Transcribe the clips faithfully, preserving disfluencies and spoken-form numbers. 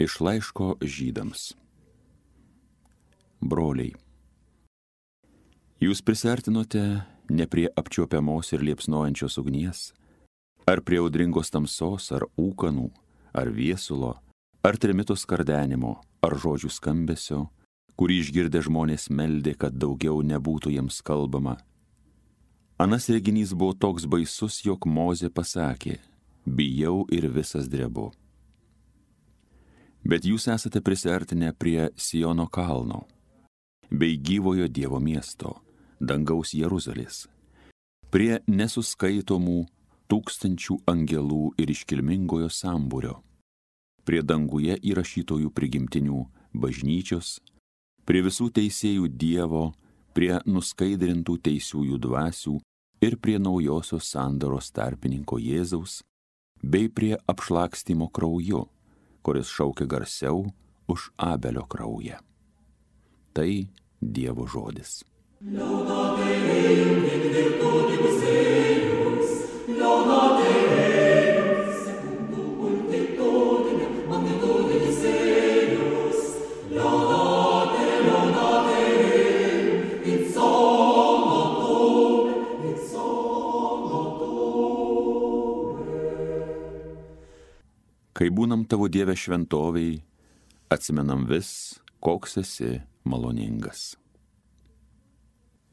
Iš laiško Žydams. Broliai, jūs prisiartinote ne prie apčiuopiamos ir liepsnojančios ugnies, ar prie audringos tamsos, ar ūkanų, ar viesulo, ar trimito skardenimo, ar žodžių skambesio, kurį išgirdę žmonės meldė, kad daugiau nebūtų jiems kalbama. Anas reginys buvo toks baisus, jog Mozė pasakė, bijau ir visas drebu. Bet jūs esate prisiartinę prie Siono kalno, bei gyvojo Dievo miesto, dangaus Jeruzalės, prie nesuskaitomų tūkstančių angelų ir iškilmingojo sambūrio, prie danguje įrašytojų prigimtinių bažnyčios, prie visų teisėjų Dievo, prie nuskaidrintų teisiųjų dvasių ir prie naujosios sandoros tarpininko Jėzaus, bei prie apšlakstymo krauju, kuris šaukia garsiau už Abelio kraują. Tai Dievo žodis. Laudate Deum in virtutibus eius, laudate Deum secundum multitudinem magnitudinis eius, laudate, laudate Deum in somnotum, in somnotum. Kai būnam tavo Dieve šventovėj, atsimenam vis, koks esi maloningas.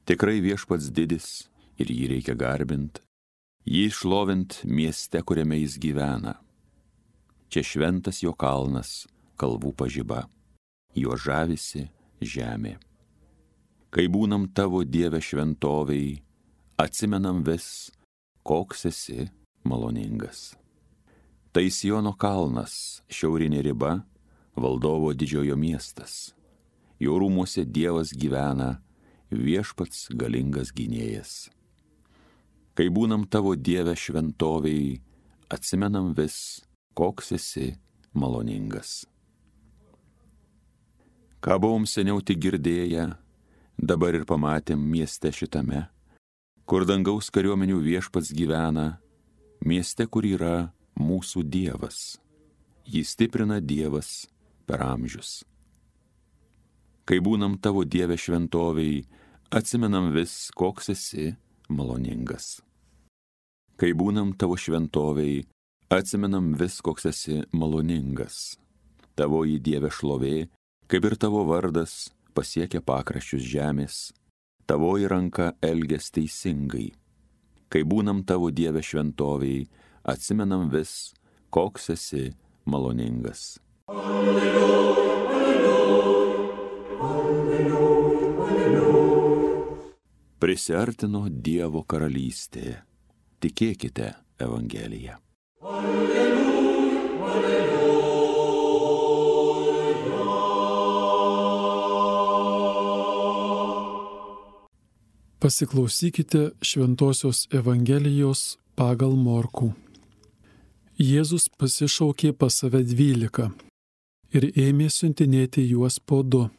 Tikrai Viešpats didis ir jį reikia garbint, jį šlovint mieste, kuriame jis gyvena. Čia šventas jo kalnas, kalvų pažiba, jo žavisi žemė. Kai būnam tavo Dieve šventovėj, atsimenam vis, koks esi maloningas. Tai Siono kalnas, šiaurinė riba, valdovo didžiojo miestas. Jo rūmuose Dievas gyvena, Viešpats galingas gynėjas. Kai būnam tavo Dieve šventovėj, atsimenam vis, koks esi maloningas. Ką buvom seniau tik girdėję, dabar ir pamatėm mieste šitame, kur dangaus kariuomenių Viešpats gyvena, mieste, kur yra mūsų Dievas. Jį stiprina Dievas per amžius. Kai būnam tavo Dieve šventovėj, atsimenam vis, koks esi maloningas. Kai būnam tavo šventovėj, atsimenam vis, koks esi maloningas. Tavoji Dieve šlovė, kaip ir tavo vardas, pasiekia pakraščius žemės, tavoji ranka elgias teisingai. Kai būnam tavo Dieve šventovėj, atsimenam vis, koks esi maloningas. Alleluja, alleluja. Alleluja, alleluja. Prisiartino Dievo karalystė. Tikėkite Evangeliją. Alleluja, alleluja. Pasiklausykite Šventosios Evangelijos pagal Morkų. Jėzus pasišaukė pas save dvylika ir ėmė siuntinėti juos po du.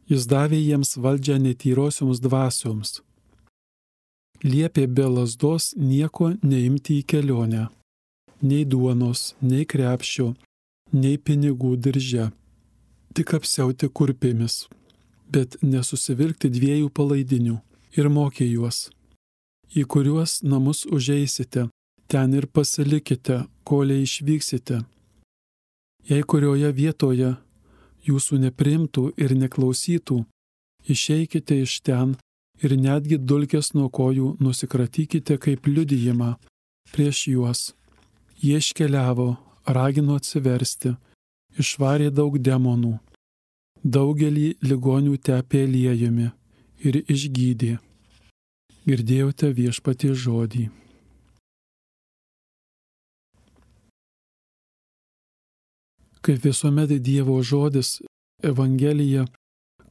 Jis davė jiems valdžią netyrosioms dvasioms. Liepė be lazdos nieko neimti į kelionę, nei duonos, nei krepšio, nei pinigų dirže, tik apsiauti kurpėmis, bet nesusivilkti dviejų palaidinių, ir mokė juos, į kuriuos namus užeisite, ten ir pasilikite, kolei išvyksite. Jei kurioje vietoje jūsų nepriimtų ir neklausytų, išeikite iš ten ir netgi dulkes nuo kojų nusikratykite kaip liudijimą prieš juos. Jie iškeliavo, ragino atsiversti, išvarė daug demonų, daugelį ligonių tepė aliejumi ir išgydė. Girdėjote Viešpaties žodį. Kaip visuomet Dievo žodis, Evangelija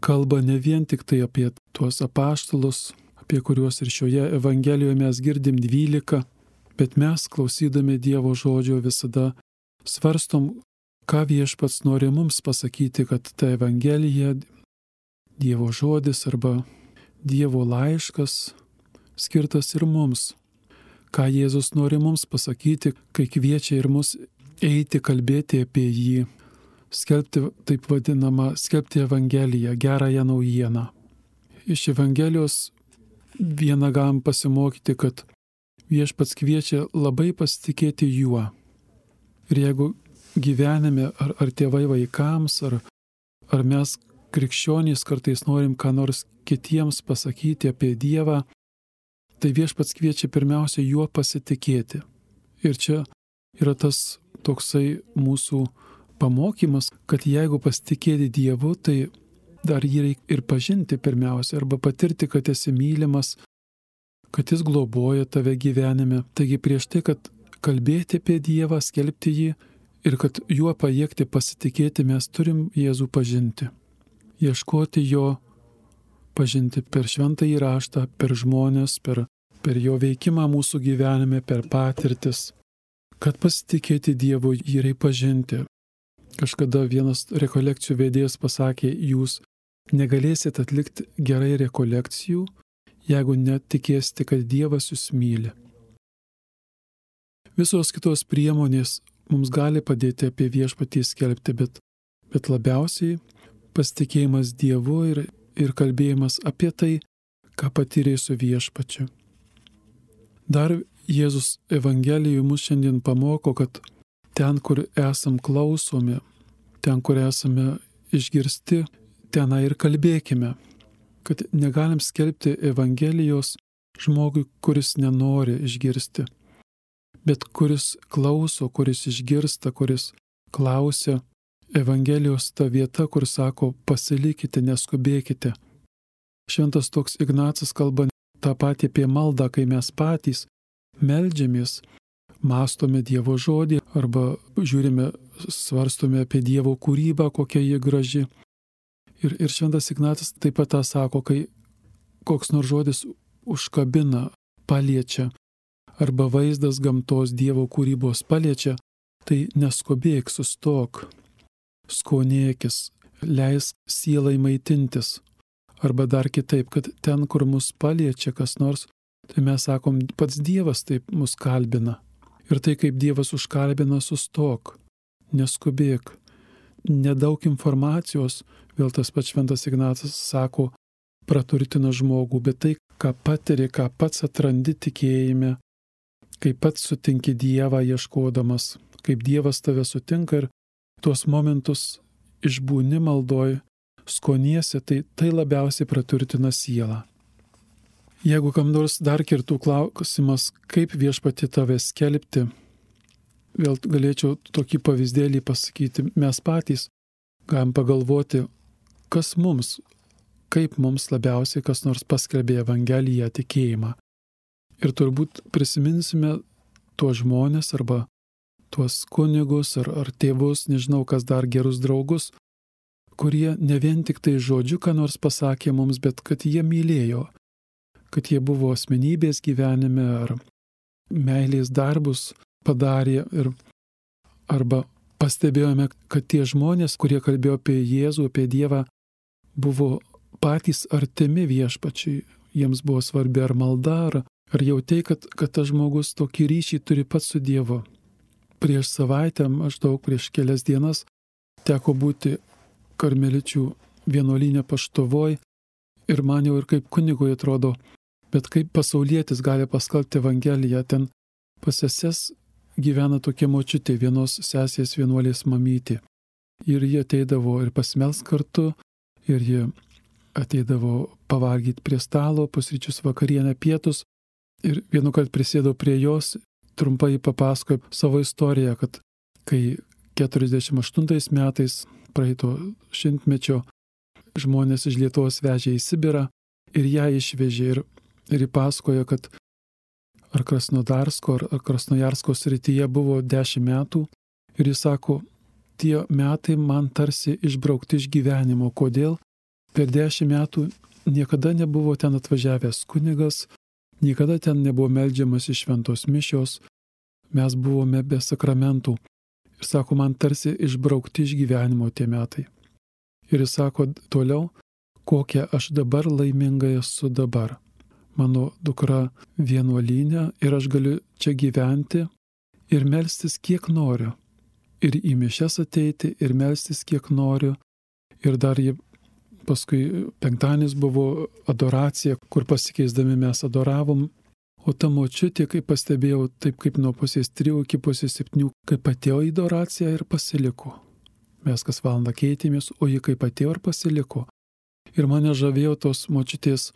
kalba ne vien tik tai apie tuos apaštalus, apie kuriuos ir šioje Evangelijoje mes girdim dvylika, bet mes, klausydami Dievo žodžio, visada svarstom, ką Viešpats nori mums pasakyti, kad ta Evangelija, Dievo žodis arba Dievo laiškas skirtas ir mums. Ką Jėzus nori mums pasakyti, kai kviečia ir mus eiti kalbėti apie jį, skelbti taip vadinamą, skelbti Evangeliją, gerąją naujieną. Iš Evangelijos vieną galim pasimokyti, kad Viešpats kviečia labai pasitikėti juo. Ir jeigu gyvenime, ar, ar tėvai vaikams, ar, ar mes krikščionys kartais norim ką nors kitiems pasakyti apie Dievą, tai Viešpats kviečia pirmiausia juo pasitikėti. Ir čia yra tas toksai mūsų pamokymas, kad jeigu pasitikėti Dievu, tai dar jį reikia ir pažinti pirmiausia, arba patirti, kad esi mylimas, kad jis globoja tave gyvenime. Taigi prieš tai, kad kalbėti apie Dievą, skelbti jį ir kad juo pajėgti pasitikėti, mes turim Jėzų pažinti. Ieškoti jo, pažinti per šventąjį raštą, per žmonės, per, per jo veikimą mūsų gyvenime, per patirtis. Kad pasitikėti Dievu, jį reikia pažinti. Kažkada vienas rekolekcijų vedėjas pasakė, jūs negalėsit atlikti gerai rekolekcijų, jeigu netikėsite, kad Dievas jūs myli. Visos kitos priemonės mums gali padėti apie Viešpatį skelbti, bet, bet labiausiai pasitikėjimas Dievu ir, ir kalbėjimas apie tai, ką patyrė su Viešpačiu. Dar Jėzus Evangelijoje mus šiandien pamoko, kad ten, kur esam klausomi, ten, kur esame išgirsti, tenai ir kalbėkime. Kad negalim skelbti Evangelijos žmogui, kuris nenori išgirsti, bet kuris klauso, kuris išgirsta, kuris klausia. Evangelijos ta vieta, kur sako, pasilikite, neskubėkite. Šventas toks Ignacas kalba tą patį apie maldą, kai mes patys meldžiamės, mąstome Dievo žodį arba žiūrime, svarstome apie Dievo kūrybą, kokia ji graži. Ir, ir šventas Ignacas taip pat tą sako, kai koks nors žodis užkabina, paliečia, arba vaizdas gamtos Dievo kūrybos paliečia, tai neskubėk, sustok, skonėkis, leisk sielai maitintis. Arba dar kitaip, kad ten, kur mus paliečia kas nors, tai mes sakom, pats Dievas taip mus kalbina. Ir tai, kaip Dievas užkalbina, sustok, neskubėk. Nedaug informacijos, vėl tas pats šventas Ignacas sako, praturtina žmogų, bet tai, ką patiri, ką pats atrandi tikėjime, kaip pats sutinki Dievą ieškodamas, kaip Dievas tave sutinka ir tuos momentus išbūni maldoj, skoniesi, tai tai labiausiai praturtina sielą. Jeigu kam nors dar kirtų klausimas, kaip Viešpatį tave skelbti, vėl galėčiau tokį pavyzdėlį pasakyti, mes patys galim pagalvoti, kas mums, kaip mums labiausiai kas nors paskelbė Evangeliją, tikėjimą. Ir turbūt prisiminsime tuos žmonės arba tuos kunigus ar, ar tėvus, nežinau kas dar, gerus draugus, kurie ne vien tik tai žodžiu, ką nors pasakė mums, bet kad jie mylėjo, kad jie buvo asmenybės gyvenime ar meilės darbus padarė ir arba pastebėjome, kad tie žmonės, kurie kalbėjo apie Jėzų, apie Dievą, buvo patys artimi Viešpačiui, jiems buvo svarbi ar malda, ar, ar jautė, kad, kad tas žmogus tokį ryšį turi pats su Dievu. Prieš savaitę, maždaug prieš kelias dienas, teko būti karmeličių vienuolyne Paštuvoj ir man jau ir kaip kunigui atrodo, bet kaip pasaulietis gali paskelbti Evangeliją, ten pas seses gyvena tokia močiutė, vienos sesės vienuolės mamytė. Ir jie ateidavo ir pasmels kartu, ir jie ateidavo pavalgyti prie stalo, pusryčius, vakarienę, pietus. Ir vienu kart prisėdau prie jos, trumpai papasakojo savo istoriją, kad kai keturiasdešimt aštuntais metais praeito šimtmečio žmonės iš Lietuvos vežė į Sibirą ir ją išvežė ir, ir įpasakojo, kad ar Krasnodarsko, ar, ar Krasnojarsko srityje buvo dešimt metų ir jis sako, tie metai man tarsi išbraukti iš gyvenimo. Kodėl? Per dešimt metų niekada nebuvo ten atvažiavęs kunigas, niekada ten nebuvo meldžiamas iš šventos mišios, mes buvome be sakramentų. Ir sako, man tarsi išbraukti iš gyvenimo tie metai. Ir jis sako toliau, kokia aš dabar laiminga esu dabar. Mano dukra vienuolyne ir aš galiu čia gyventi ir melstis kiek noriu. ir į mišias ateiti, ir melstis kiek noriu. Ir dar jie, paskui penktadienis buvo adoracija, kur pasikeisdami mes adoravom. O ta močiutė, kaip pastebėjau, taip kaip nuo pusės trijų iki pusės septynių, kaip atėjo į adoraciją ir pasiliko. Mes kas valandą keitėmės, o ji kaip atėjo ir pasiliko. Ir mane žavėjo tos močiutės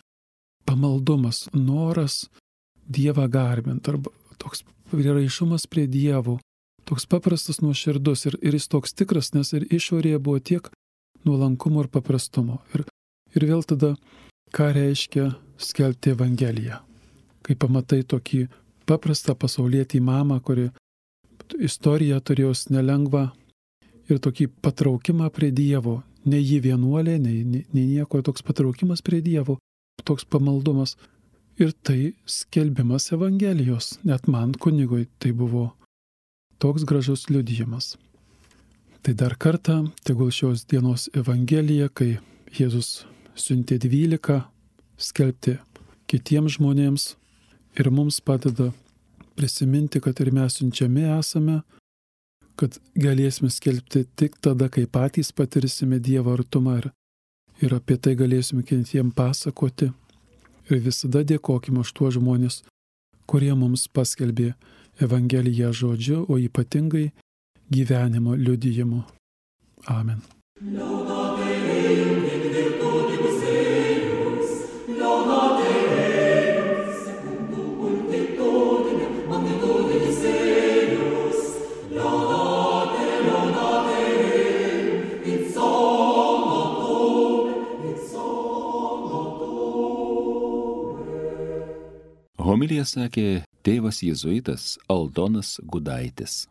pamaldumas, noras Dievą garbint, arba toks priraišumas prie Dievo, toks paprastas nuoširdus ir, ir jis toks tikras, nes ir išorėje buvo tiek nuolankumo ir paprastumo. Ir, ir vėl tada, ką reiškia skelbti Evangeliją. Kai pamatai tokį paprastą pasaulietį mamą, kuri istoriją turėjo nelengvą ir tokį patraukimą prie Dievo, ne jį vienuolė, nei, nei, nei nieko, toks patraukimas prie Dievo, toks pamaldumas. Ir tai skelbimas Evangelijos, net man kunigui tai buvo toks gražus liudijimas. Tai dar kartą, tegul šios dienos Evangelija, kai Jėzus siuntė dvylika skelbti kitiems žmonėms ir mums padeda prisiminti, kad ir mes siunčiami esame, kad galėsime skelbti tik tada, kai patys patirsime Dievo artumą ir, ir apie tai galėsime kitiems pasakoti. Ir visada dėkokime už tuos žmonės, kurie mums paskelbė Evangeliją žodžiu, o ypatingai gyvenimo liudijimu. Amen. Laudate Deum in virtutibus eius, laudate eius, secundum multitudinem, magnitudinis eius, laudate, laudate Deum, in solum, in solum. Homiliją sakė tėvas jėzuitas Aldonas Gudaitis.